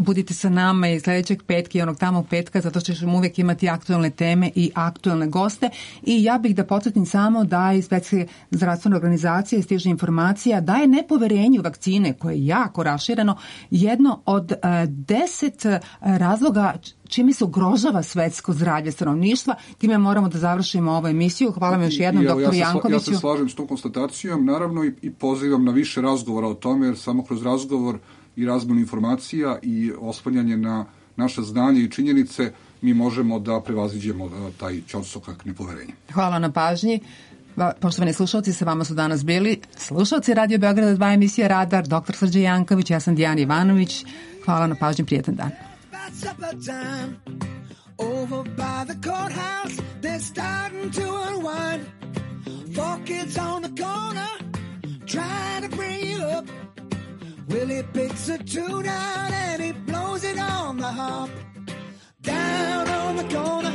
Budite sa nama i sledećeg petka i onog tamo petka, zato što ćemo uvek imati aktuelne teme i aktuelne goste. I ja bih da podsjetim samo da iz Svetske zdravstvene organizacije stiže informacija da je nepoverenje u vakcine, koje je jako rašireno, jedno od 10 razloga čime se ugrožava svetsko zdravlje stanovništva. Time moramo da završimo ovu emisiju. Hvala vam još jednom, dr. Jankoviću. Ja se slažem s tom konstatacijom, naravno i pozivam na više razgovora o tome, jer samo kroz razgovor i razmjenu informacija i oslanjanje na naša znanja i činjenice mi možemo da prevaziđemo taj ćorsokak nepoverenja. Hvala na pažnji. Poštovani slušalci, sa vama su danas bili slušalci Radio Beograda 2 emisije Radar, dr. Srđan Janković, ja sam Dijana Ivanović. Hvala na pažnji, prijetan dan. Over by the courthouse, they're starting to unwind. 4 kids on the corner, trying to bring you up. Willie picks a tune out and he blows it on the harp. Down on the corner,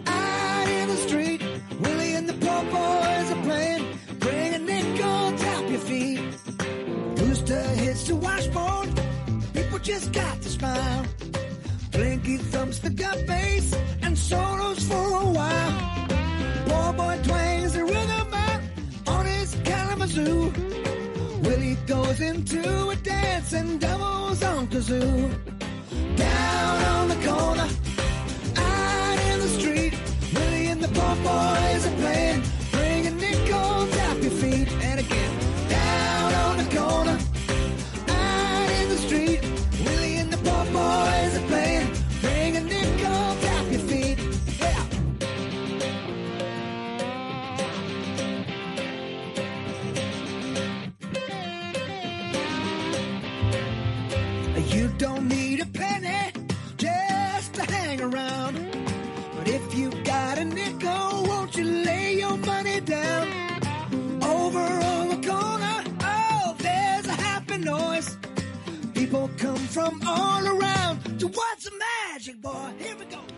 out in the street, Willie and the poor boys are playing. Bring a nickel, tap your feet. Booster hits the washboard, people just got to smile. Blinky thumps the gut bass and solos for a while. Poor boy twangs the rhythm out on his Kalamazoo. Willie goes into a dance and doubles on kazoo. Down on the corner, out in the street, Willie and the poor boys are playing. Bring a nickel, tap your feet. And again, down on the corner, out in the street, Willie and the poor boys are playing. Bring a nickel, tap your feet. Yeah. You don't need a penny just to hang around. But if you got a nickel, won't you lay your money down? Over on the corner, oh, there's a happy noise. People come from all around to watch the magic, boy. Here we go.